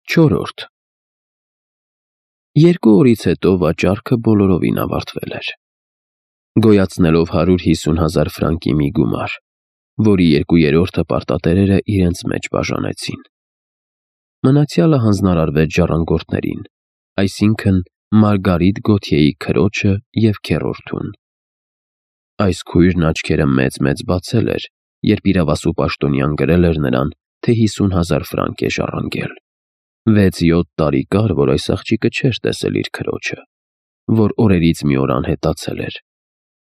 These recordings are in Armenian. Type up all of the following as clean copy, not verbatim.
4. Երկու օրից հետո վաճառքը բոլորովին ավարտվել էր, գոյացնելով 150,000 ֆրանկի մի գումար, որի 2/3-ը պարտատերերը իրենց մեջ բաժանեցին։ Մնացյալը հանձնարարվեց ժառանգորդներին, այսինքն Մարգարիտ Գոթյեի քրոջը և քեռորդուն։ Այս քույրն աչքերը մեծ-մեծ բացել էր, երբ իրավասու պաշտոնյան գրել էր նրան, թե 50,000 ֆրանկ է ժառանգել։ 6-7 տարի կար, որ այս աղջիկը չէր տեսել իր քրոջը, որ օրերից մի օր անհետացել էր,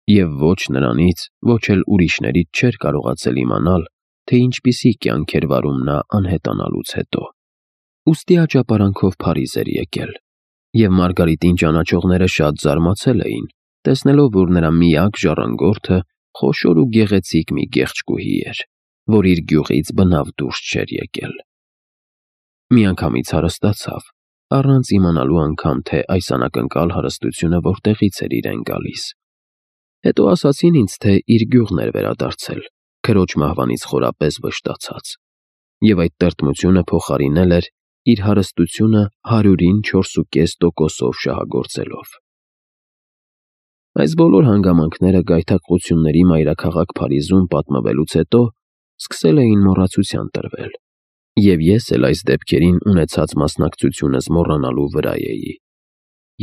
և ոչ նրանից, ոչ էլ ուրիշներից չէր կարողացել իմանալ, թե ինչպիսի կյանք էր վարում նա անհետանալուց հետո։ Ուստի աճապարանքով Փարիզ էր եկել, և Մարգարիտին ճանաչողները շատ զարմացել էին, տեսնելով, որ նրա միակ ժառանգորդը խոշոր ու գեղեցիկ մի գեղեցկուհի էր, որ իր գյուղից բնավ դուրս չէր եկել։ Միանգամից հարստացավ, առանց իմանալու անգամ, թե այս անակնկալ հարստությունը որտեղից էր իրեն գալիս։ Հետո ասացին ինձ, թե իր գյուղն էր վերադարձել, քրոջ մահվանից խորապես վշտացած, և այդ տրտմությունը փոխարինել էր իր հարստությունը 100-ին 4,5%-ով շահագործելով։ Այս բոլոր հանգամանքները գայթակղությունների մայրաքաղաք Փարիզում պատմվելուց հետո սկսել էին մոռացության տրվել, և ես էլ այս դեպքերին ունեցած մասնակցությունս մոռանալու վրա էի,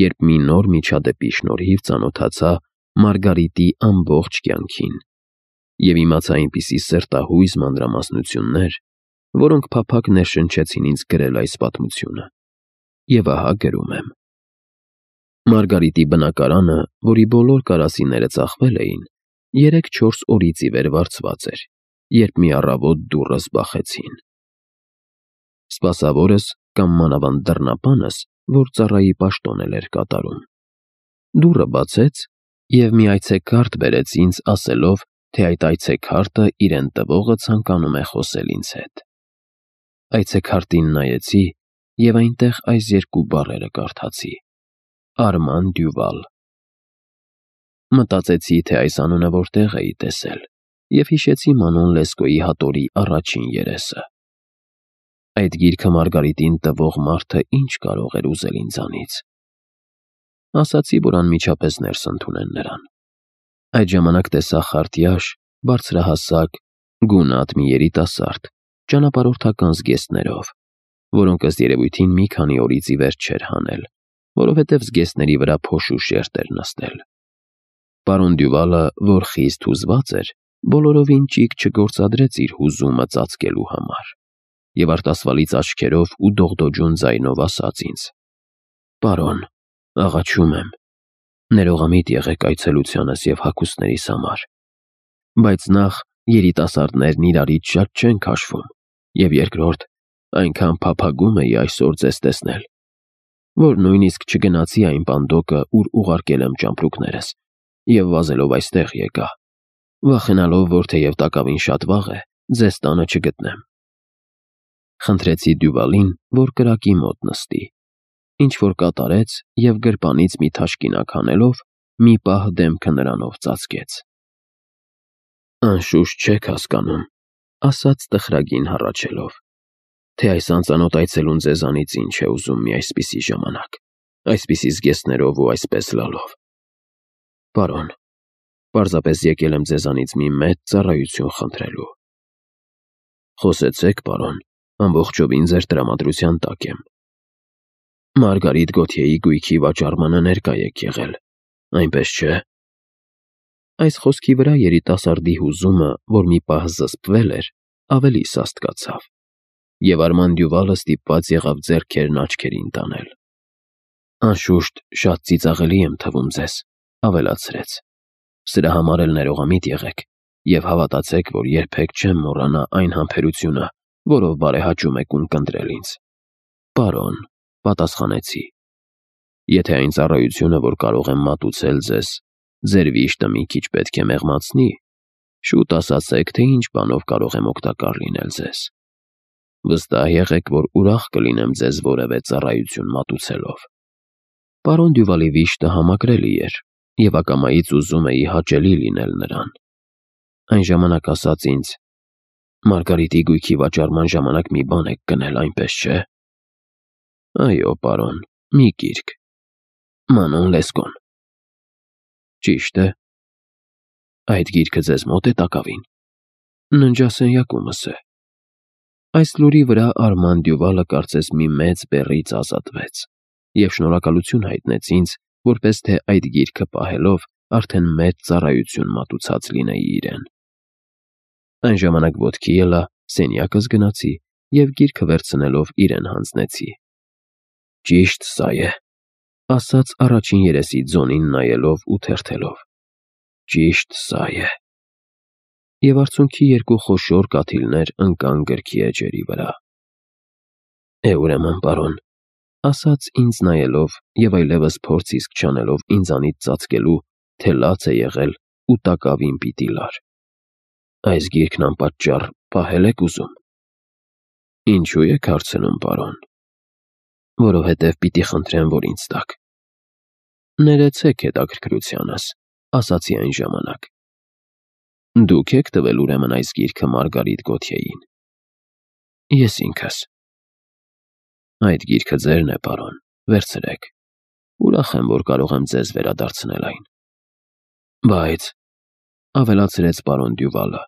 երբ մի նոր միջադեպի շնորհիվ ծանոթացա Մարգարիտի ամբողջ կյանքին և իմացա այնպիսի սրտահույզ մանրամասնություններ, որոնք փափագ ներշնչեցին ինձ գրել այս պատմությունը։ Եվ ահա գրում եմ. Մարգարիտի բնակարանը, որի բոլոր կարասիները ծախվել էին, 3-4 օրից ի վեր վարձված էր, երբ մի առավոտ դուռս բախեցին։ Սպասավորս կամ մանավանդ դռնապանս, որ ծառայի պաշտոն էր կատարում, դուռը բացեց և մի այցեքարտ բերեց ինձ, ասելով, թե այդ այցեքարտը իրեն տվողը ցանկանում է խոսել ինձ հետ։ Այցեքարտին նայեցի և այնտեղ այս երկու բառերը կարդացի. Արման Դյուվալ։ Մտածեցի, թե այս անունը որտեղ էի տեսել, և հիշեցի Մանոն Լեսկոյի հատորի առաջին երեսը։ Այդ գիրքը Մարգարիտին տվող մարդը ինչ կարող էր ուզել ինձանից։ Ասացի, որ անմիջապես ներս ընդունեն նրան։ Այդ ժամանակ տեսա խարտյաշ, բարձրահասակ, գունատ մի երիտասարդ, ճանապարհորդական զգեստներով, որոնք ըստ երևույթին մի քանի օրից ի վեր չէր հանել, որովհետև զգեստների վրա փոշու շերտ էր նստել։ Պարոն Դյուվալը, որ խիստ հուզված էր, բոլորովին ճիգ չգործադրեց իր հուզումը ծածկելու համար, և արտասվալից աչքերով ու դողդոջուն ձայնով ասաց ինձ. Պարոն, աղաչում եմ, ներողամիտ եղեք այցելությանս և հագուստներիս համար, բայց նախ երիտասարդներն իրարից շատ չեն քաշվում, և երկրորդ, այնքան փափագում էի այսօր ձեզ տեսնել, որ նույնիսկ չգնացի այն պանդոկը, ուր ուղարկել եմ ճամպրուկներս, և վազելով այստեղ եկա, վախենալով, որ թեև տակավին շատ վաղ է, ձեզ տանը չգտնեմ։ Խնդրեցի Դյուվալին, որ կրակի մոտ նստի, ինչ-որ կատարեց և գրպանից մի թաշկինակ հանելով, մի պահ դեմքը նրանով ծածկեց։ Անշուշտ չեք հասկանում, ասաց տխրագին հառաչելով, թե այս անծանոթ այցելուն ձեզանից ինչ է ուզում մի այսպիսի ժամանակ, այսպիսի զգեստներով ու այսպես լալով։ Պարոն, պարզապես եկել եմ ձեզանից մի մեծ ծառայություն խնդրելու։ Խոսեցեք, պարոն, ամբողջովին ձեր տրամադրության տակ եմ։ Մարգարիտ Գոթյեի գույքի վաճառմանը ներկա եք եղել, այնպես չէ։ Այս խոսքի վրա երիտասարդի հուզումը, որ մի պահ զսպվել էր, ավելի սաստկացավ, և Արման Դյուվալը ստիպված եղավ ձեռքերն աչքերին տանել։ Անշուշտ, շատ ծիծաղելի եմ թվում ձեզ, ավելացրեց։ Սրա համար էլ ներողամիտ եղեք և հավատացեք, որ երբեք չեմ մոռանա այն համբերությունը, որով բարեհաճում եք ունկնդրել ինձ։ Պարոն, պատասխանեցի, եթե այն ծառայությունը, որ կարող եմ մատուցել ձեզ, ձեր վիշտը մի քիչ պետք է մեղմացնի, շուտ ասացեք, թե ինչ բանով կարող եմ օգտակար լինել ձեզ։ Վստահ եղեք, որ ուրախ կլինեմ ձեզ որևէ ծառայություն մատուցելով։ Պարոն Դյուվալի վիշտը համակրելի էր, և ակամայից ուզում էի հաճելի լինել նրան։ Այն ժամանակ ասաց ինձ. Մարգարիտի գույքի վաճառման ժամանակ մի բան եք գնել, այնպես չէ։ Այո, պարոն, մի գիրք։ Մանոն Լեսկոն։ Ճիշտ է։ Այդ գիրքը ձեզ մոտ է տակավին։ Ննջասենյակումս է։ Այս լուրի վրա Արման Դյուվալը կարծես մի մեծ բեռից ազատվեց և շնորհակալություն հայտնեց ինձ, որպես թե այդ գիրքը պահելով արդեն մեծ ծառայություն մատուցած լինեի իրեն։ Այն ժամանակ ոտքի ելա, սենյակս գնացի և գիրքը վերցնելով իրեն հանձնեցի։ Ճիշտ սա է, ասաց առաջին երեսի ձոնին նայելով ու թերթելով։ Ճիշտ սա է։ Եվ արցունքի երկու խոշոր կաթիլներ ընկան գրքի էջերի վրա։ Ուրեմն, պարոն, ասաց ինձ նայելով և այլևս փորձ իսկ չանելով ինձանից ծածկելու, թե լաց է եղել ու տակավին պիտի լար։ Այս գիրքն անպատճառ պահել եք ուզում։ Ինչու եք հարցնում, պարոն։ Որովհետև պիտի խնդրեմ, որ ինձ տաք։ Ներեցեք հետաքրքրությանս, ասացի այն ժամանակ։ Դուք եք տվել ուրեմն այս գիրքը Մարգարիտ Գոթյեին։ Ես ինքս։ Այդ գիրքը ձերն է, պարոն, վերցրեք։ Ուրախ եմ, որ կարող եմ ձեզ վերադարձնել այն։ Բայց, ավելացրեց պարոն Դյուվալը,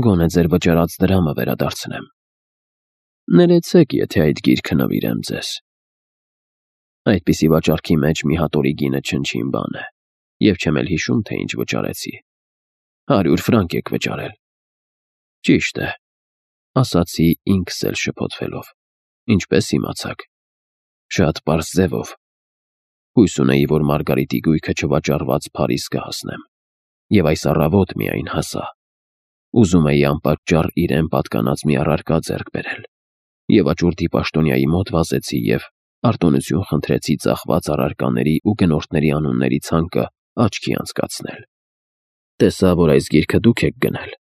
գոնե ձեր վճարած դրամը վերադարձնեմ։ Ներեցեք, եթե այդ գիրքը նվիրեմ ձեզ։ Այդպիսի վաճառքի մեջ մի հատորի գինը չնչին բան է, և չեմ էլ հիշում, թե ինչ վճարեցի։ 100 ֆրանկ եք վճարել։ Ճիշտ է, ասացի ինքս էլ շփոթվելով։ Ինչպես իմացաք։ Շատ պարզ ձևով։ Հույս ունեի, որ Մարգարիտի գույքը չվաճառված Փարիզ կհասնեմ, և այս առավոտ միայն հասա։ Ուզում էի անպատճառ իրեն պատկանած մի առարկա ձեռք բերել, և աճուրդի պաշտոնյայի մոտ վազեցի և արտոնություն խնդրեցի ծախված առարկաների ու գնորդների անունների ցանկը աչքի անցկացնել։ Տեսա, որ այս գիրքը դուք եք գնել,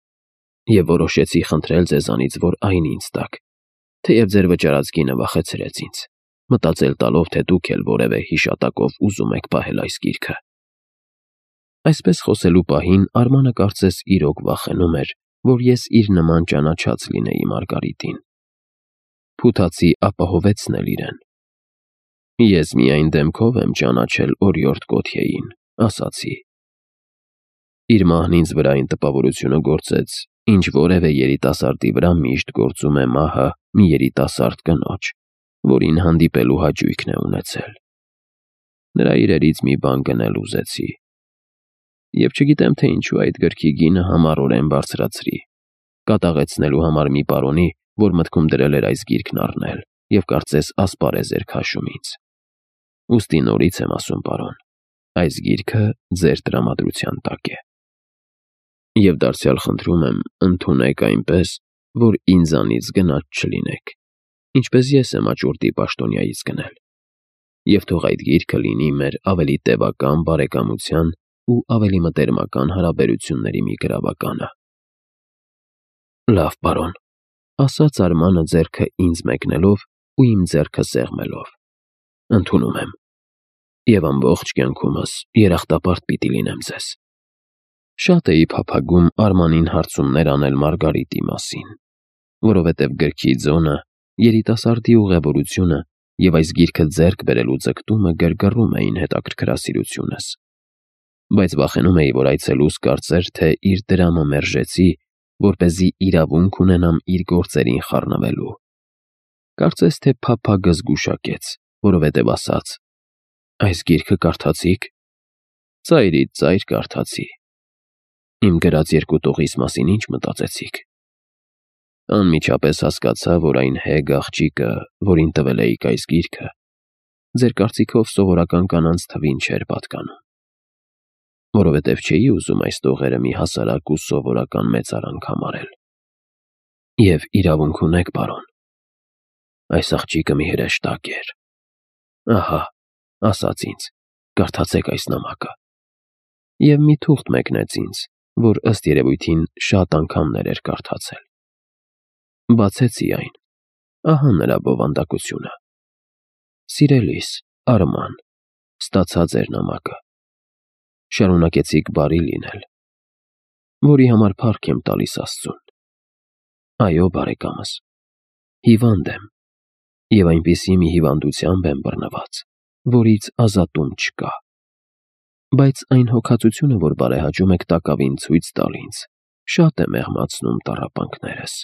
և որոշեցի խնդրել ձեզանից, որ այն ինձ տաք, թեև ձեր վճարած գինը վախեցրեց ինձ, մտածել տալով, թե դուք էլ որևէ հիշատակով ուզում եք պահել այս գիրքը։ Այսպես խոսելու պահին Արմանը կարծես իրոք վախենում էր, որ ես իր նման ճանաչած լինեի Մարգարիտին։ Փութացի ապահովեցնել իրեն։ Ես միայն դեմքով եմ ճանաչել օրիորդ Գոթյեին, ասացի։ Իր մահն ինձ վրա այն տպավորությունը գործեց, ինչ որևէ երիտասարդի վրա միշտ գործում է մահը մի երիտասարդ կնոջ, որին հանդիպելու հաճույքն է ունեցել։ Նրա իրերից մի բան գնել ուզեցի։ Եվ չգիտեմ, թե ինչու այդ գրքի գինը համառորեն բարձրացրի, կատաղեցնելու համար մի պարոնի, որ մտքում դրել էր այս գիրքն առնել, և կարծես ասպարեզ էր քաշում ինձ։ Ուստի նորից եմ ասում, պարոն, այս գիրքը ձեր տրամադրության տակ է։ Եվ դարձյալ խնդրում եմ, ընդունեք այնպես, որ ինձանից գնաց չլինեք, ինչպես ես եմ աճուրդի պաշտոնյայից գնել, և թող այդ գիրքը լինի մեր ավելի տևական բարեկամության ու ավելի մտերմական հարաբերությունների մի գրավականը։ Լավ, պարոն, ասաց Արմանը ձեռքը ինձ մեկնելով ու իմ ձեռքը սեղմելով։ Ընդունում եմ, և ամբողջ կյանքումս երախտապարտ պիտի լինեմ ձեզ։ Շատ էի փափագում Արմանին հարցումներ անել Մարգարիտի մասին, որովհետև գրքի ձոնը, երիտասարդի ուղևորությունը և այս գիրքը ձեռք բերելու ձգտումը գրգռում էին հետաքրքրասիրությունս։ Բայց վախենում էի, որ այցելուս կարծեր, թե իր դրամը մերժեցի, որպեսզի իրավունք ունենամ իր գործերին խառնվելու։ Կարծես թե փափագը զգուշակեց, որովհետև ասաց. Այս գիրքը կարդացի՞ք։ Ծայրից ծայր կարդացի։ Իմ գրած երկու տողիս մասին ինչ մտածեցիք։ Անմիջապես հասկացա, որ այն հեգ աղջիկը, որին տվել էիք այս գիրքը, ձեր կարծիքով սովորական կանանց թվին չէր պատկանում, որովհետև չէի ուզում այս տողերը մի հասարակ ու սովորական մեծարանք համարել։ Եվ իրավունք ունեք, պարոն։ Այս աղջիկը մի հրեշտակ էր։ Ահա, ասաց ինձ, կարդացեք այս նամակը։ Եվ մի թուղթ մեկնեց ինձ, որ ըստ երևույթին շատ անգամներ էր կարդացել։ Բացեցի այն։ Ահա նրա բովանդակությունը։ Սիրելիս, Արման, ստացա ձեր նամակը։ Շարունակեցիք բարի լինել, որի համար փառք եմ տալիս Աստծուն։ Այո, բարեկամս, հիվանդ եմ, Եվ այնպիսի մի հիվանդությամբ եմ բռնված, որից ազատում չկա։ Բայց այն հոգացությունը, որ բարեհաճում եք տակավին ցույց տալ ինձ, շատ է մեղմացնում տառապանքներս։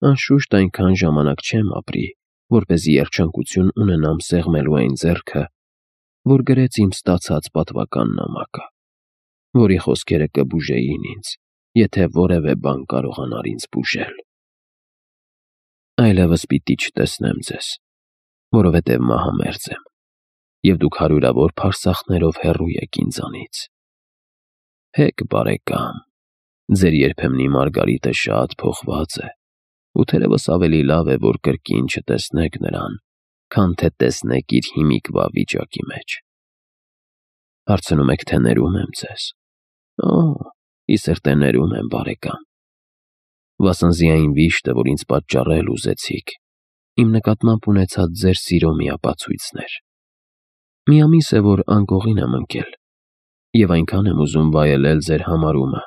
Անշուշտ այնքան ժամանակ չեմ ապրի, որպեսզի երջանկություն ունենամ սեղմելու այն ձեռքը, որ գրեց իմ ստացած պատվական նամակը, որի խոսքերը կբուժեին ինձ, եթե որևէ բան կարողանար ինձ բուժել։ Այլևս պիտի չտեսնեմ ձեզ, որովհետև մահամերձ եմ, և դուք հարյուրավոր փարսախներով հեռու եք ինձանից։ Հեկ բարեկամ, ձեր երբեմնի Մարգարիտը շատ փոխված է, ու թերևս ավելի լավ է, որ կրկին չտեսնեք նրան, քան թե տեսնեք իր հիմիկվա վիճակի մեջ։ Հարցնում եք, թե ներում եմ ձեզ։ Օ, ի սրտե ներում եմ, բարեկամ։ Վասնզի այն վիշտը, որ ինձ պատճառել ուզեցիք, իմ նկատմամբ ունեցած ձեր սիրո միապացույցն էր։ Մի ամիս է, որ անկողին եմ ընկել, և այնքան եմ ուզում վայելել ձեր համարումը,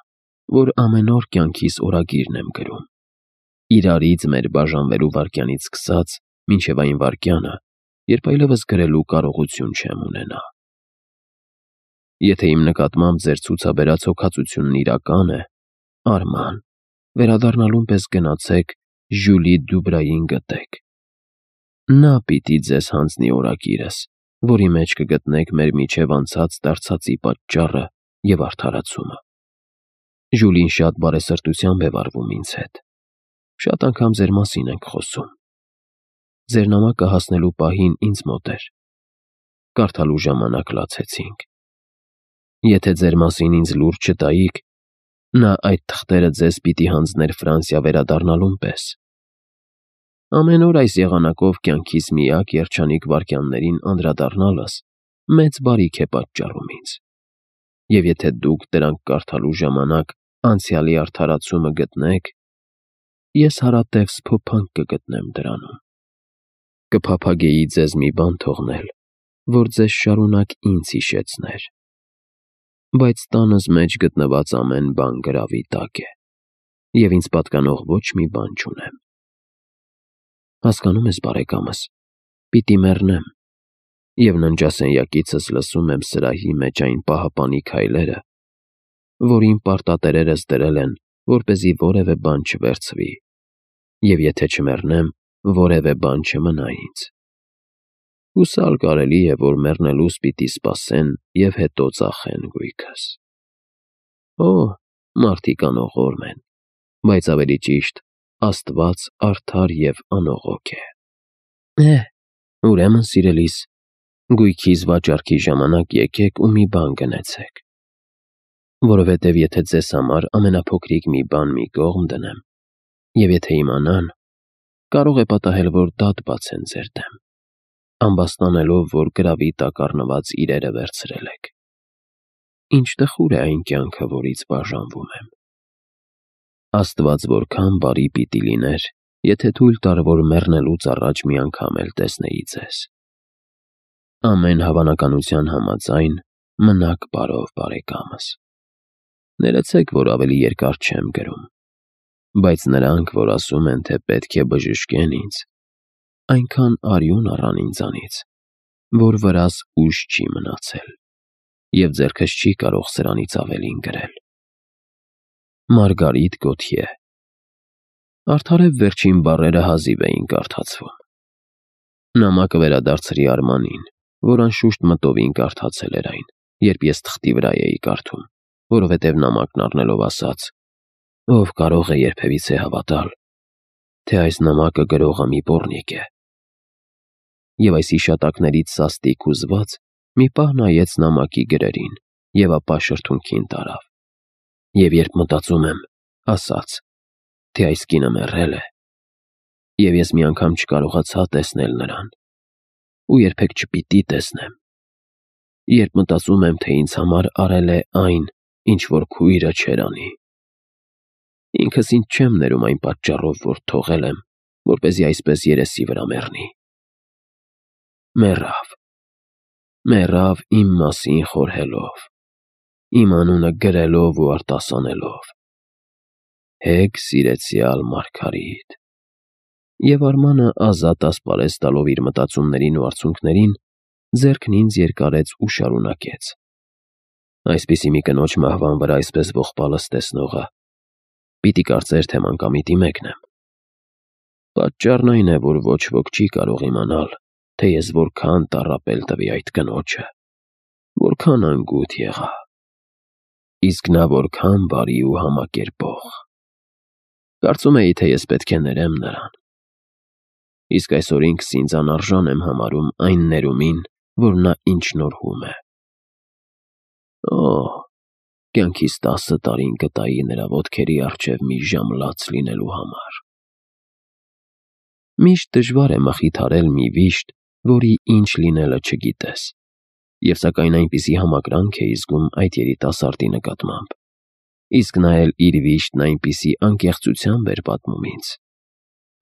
որ ամեն օր կյանքիս օրագիրն եմ գրում, իրարից մեր բաժանվելու վայրկյանից սկսած մինչև այն վայրկյանը, երբ այլևս գրելու կարողություն չեմ ունենա։ Եթե իմ նկատմամբ ձեր ցուցաբերած հոգածությունն իրական է, Արման, վերադառնալուն պես գնացեք Ժյուլի Դուբրային գտեք։ Նա պիտի ձեզ հանձնի օրագիրս, որի մեջ կգտնեք մեր միջև անցած դարձածի պատճառը և արդարացումը։ Ժուլին շատ բարեսրտությամբ է վարվում ինձ հետ։ Շատ անգամ ձեր մասին ենք խոսում։ Ձեր նամակը հասնելու պահին ինձ մոտ էր։ Կարդալու ժամանակ լացեցինք։ Եթե ձեր մասին ինձ լուր չտայիք, նա այդ թղթերը ձեզ պիտի հանձներ Ֆրանսիա վերադառնալուն պես։ Ամեն օր այս եղանակով կյանքիս միակ երջանիկ վայրկյաններին անդրադառնալս մեծ բարիք է պատճառում ինձ։ Եվ եթե դուք դրանք կարդալու ժամանակ անցյալի արդարացումը գտնեք, ես հարատև սփոփանք կգտնեմ դրանում։ Կփափագեի ձեզ մի բան թողնել, որ ձեզ շարունակ ինձ հիշեցներ։ Բայց տանս մեջ գտնված ամեն բան գրավի տակ է, և ինձ պատկանող ոչ մի բան չունեմ։ Հասկանում ես, բարեկամս, պիտի մեռնեմ, և ննջասենյակիցս լսում եմ սրահի մեջ այն պահապանի քայլերը, որ իմ պարտատերերս դրել են, որպեսզի որևէ բան չվերցվի, և եթե չմեռնեմ, որևէ բան չմնա ինձ։ Հուսալ կարելի է, որ մեռնելուս պիտի սպասեն և հետո ծախեն գույքս։ Օ, մարդիկ անողորմ են, բայց ավելի ճիշտ, Աստված արդար և անողոք է։ Ուրեմն, սիրելիս, գույքիս վաճառքի ժամանակ եկեք ու մի բան գնեցեք։ Որովհետև եթե ձեզ համար ամենափոքրիկ մի բան մի կողմ դնեմ, և եթե իմանան, կարող է պատահել, որ դատ բացեն ձեր դեմ, ամբաստանելով, որ գրավի տակ առնված իրերը վերցրել եք։ Ինչ տխուր է այն կյանքը, որից բաժանվում եմ։ Աստված որքան բարի պիտի լիներ, եթե թույլ տար, որ մեռնելուց առաջ մի անգամ էլ տեսնեի ձեզ։ Ամեն հավանականության համաձայն մնաք բարով, բարեկամս։ Ներեցեք, որ ավելի երկար չեմ գրում, բայց նրանք, որ ասում են, թե պետք է բժշկեն ինձ, այնքան արյուն առան ինձանից, որ վրաս ուժ չի մնացել, և ձեռքս չի կարող սրանից ավելին գրել։ Մարգարիտ Գոթյե։ Արդարև վերջին բառերը հազիվ էին կարդացվում։ Նամակը վերադարձրի Արմանին, որ անշուշտ մտովին կարդացել էր այն, երբ ես թղթի վրա էի կարդում, որովհետև նամակն առնելով ասաց. «Ով կարող է երբևիցե հավատալ, թե այս նամակը գրողը մի պոռնիկ է»։ Եվ այս հիշատակներից սաստիկ հուզված մի պահ նայեց նամակի գրերին և ապա շրթունքին տարավ։ Եվ երբ մտածում եմ, ասաց, թե այս կինը մեռել է, և ես մի անգամ չկարողացա տեսնել նրան, ու երբեք չպիտի տեսնեմ։ Երբ մտածում եմ, թե ինձ համար արել է այն, ինչ որ քույրը չէր անի, ինքս ինձ չեմ ներում այն պատճառով, որ թողել եմ, որպեսզի այսպես երեսի վրա մեռնի։ Մեռավ իմ մասին խորհելով, իմ անունը գրելով ու արտասանելով։ Հեկ սիրեցյալ Մարգարիտ։ Եվ Արմանը ազատ ասպարեզ տալով իր մտածումներին ու արցունքներին, ձեռքն ինձ երկարեց ու շարունակեց. Այսպիսի մի կնոջ մահվան վրա այսպես ողբալս տեսնողը պիտի կարծեր, թե մանկամիտի մեկն եմ։ Պատճառն այն է, որ ոչ ոք չի կարող իմանալ, թե ես որքան տառապել տվի այդ կնոջը, որքան անգութ եղա, իսկ նա որքան բարի ու համակերպող։ Կարծում էի, թե ես պետք է ներեմ նրան։ Իսկ այսօր ինքս ինձ անարժան եմ համարում այն ներումին, որ նա ինձ շնորհում է։ Կյանքիս 10 տարին կտայի նրա ոտքերի առջև մի ժամ լաց լինելու համար։ Միշտ դժվար է մխիթարել մի վիշտ, որի ինչ լինելը չգիտես, և սակայն այնպիսի համակրանք է զգում այդ երիտասարդի նկատմամբ, իսկ նա էլ իր վիշտն այնպիսի անկեղծությամբ էր պատմում ինձ,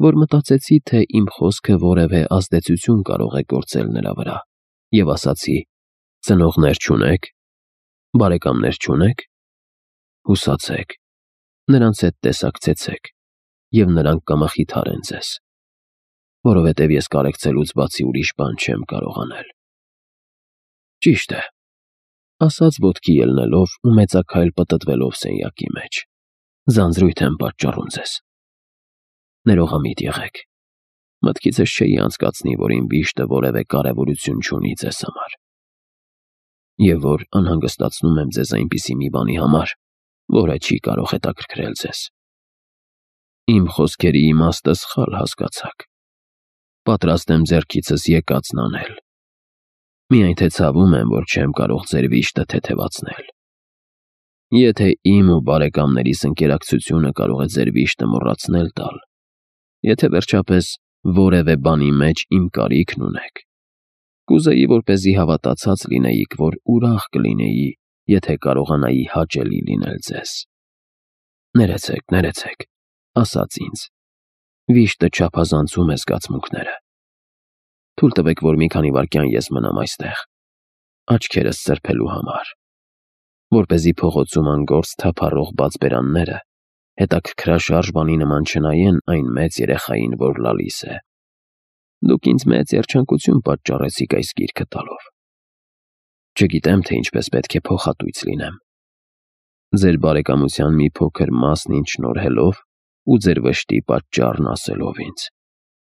որ մտածեցի, թե իմ խոսքը որևէ ազդեցություն կարող է գործել նրա վրա, և ասացի. ծնողներ չունե՞ք, բարեկամներ չունե՞ք, հուսացեք, նրանց հետ տեսակցեցեք, և նրանք կմխիթարեն ձեզ, որովհետև ես կարեկցելուց բացի ուրիշ բան չեմ կարող անել։ Ճիշտ է, ասաց ոտքի ելնելով ու մեծաքայլ պտտվելով սենյակի մեջ, ձանձրույթ եմ պատճառում ձեզ։ Ներողամիտ եղեք, մտքիցս չէի անցկացնի, որ իմ վիշտը որևէ կարևորություն չունի ձեզ համար, և որ անհանգստացնում եմ ձեզ այնպիսի մի բանի համար, որը չի կարող հետաքրքրել ձեզ։ Իմ խոսքերի իմաստը սխալ հասկացաք։ Պատրաստ եմ ձեռքիցս եկածն անել։ Միայն թե ցավում եմ, որ չեմ կարող ձեր վիշտը թեթևացնել։ Եթե իմ ու բարեկամներիս ընկերակցությունը կարող է ձեր վիշտը մոռացնել տալ, եթե վերջապես որևէ բանի մեջ իմ կարիքն ունեք, կուզեի, որպեսզի հավատացած լինեիք, որ ուրախ կլինեի, եթե կարողանայի հաճելի լինել ձեզ։ Ներեցեք, ասաց ինձ, վիշտը չափազանցում է զգացմունքները։ Թույլ տվեք, որ մի քանի վայրկյան ես մնամ այստեղ, աչքերս սրբելու համար, որպեսզի փողոցում անգործ թափառող բաց բերանները հետաքրքրաշարժ բանի նման չնայեն այն մեծ երեխային, որ լալիս է։ Դուք ինձ մեծ երջանկություն պատճառեցիք այս գիրքը տալով։ Չգիտեմ, թե ինչպես պետք է փոխհատույց լինեմ։ Ձեր բարեկամության մի փոքր մասն ինձ շնորհելով ու ձեր վշտի պատճառն ասելով ինձ,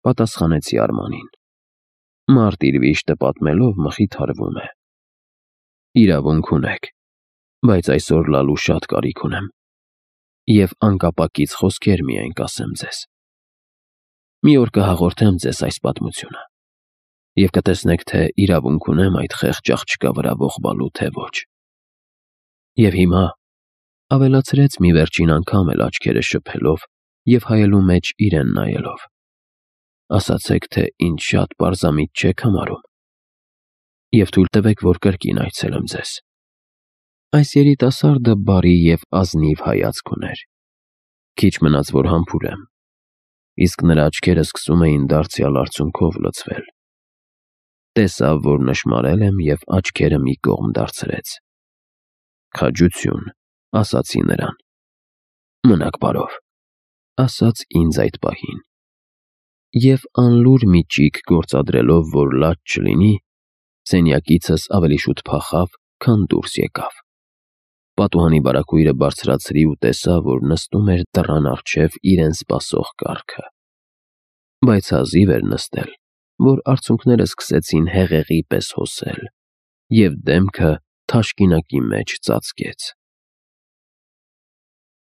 պատասխանեցի Արմանին։ Մարդ իր վիշտը պատմելով մխիթարվում է։ Իրավունք ունեք, բայց այսօր լալու շատ կարիք ունեմ, և անկապակից խոսքեր միայն կասեմ ձեզ։ Մի օր կհաղորդեմ ձեզ այս պատմությունը, և կտեսնեք, թե իրավունք ունեմ այդ խեղճ աղջկա վրա ողբալու, թե ոչ։ Եվ հիմա, ավելացրեց մի վերջին անգամ էլ աչքերը շփելով և հայելու մեջ իրեն նայելով, ասացեք, թե ինձ շատ պարզամիտ չեք համարում, և թույլ տվեք, որ կրկին այցելեմ ձեզ։ Այս երիտասարդը բարի և ազնիվ հայացք ուներ։ Քիչ մնաց, որ համբուրեմ, իսկ նրա աչքերը սկսում էին դարձյալ արցունքով լցվել։ Տեսավ, որ նշմարել եմ և աչքերը մի կողմ դարձրեց։ Քաջություն, ասացի նրան։ Մնաք բարով, ասաց ինձ այդ պահին։ Եվ անլուր մի ճիգ գործադրելով, որ լաց չլինի, սենյակիցս ավելի շուտ փախավ, քան դուրս եկավ։ Պատուհանի բարագույրը բարձրացրի ու տեսա, որ նստում էր դռան առջև իրեն սպասող կառքը։ Բայց հազիվ էր նստել, որ արցունքները սկսեցին հեղեղի պես հոսել, և դեմքը թաշկինակի մեջ ծածկեց։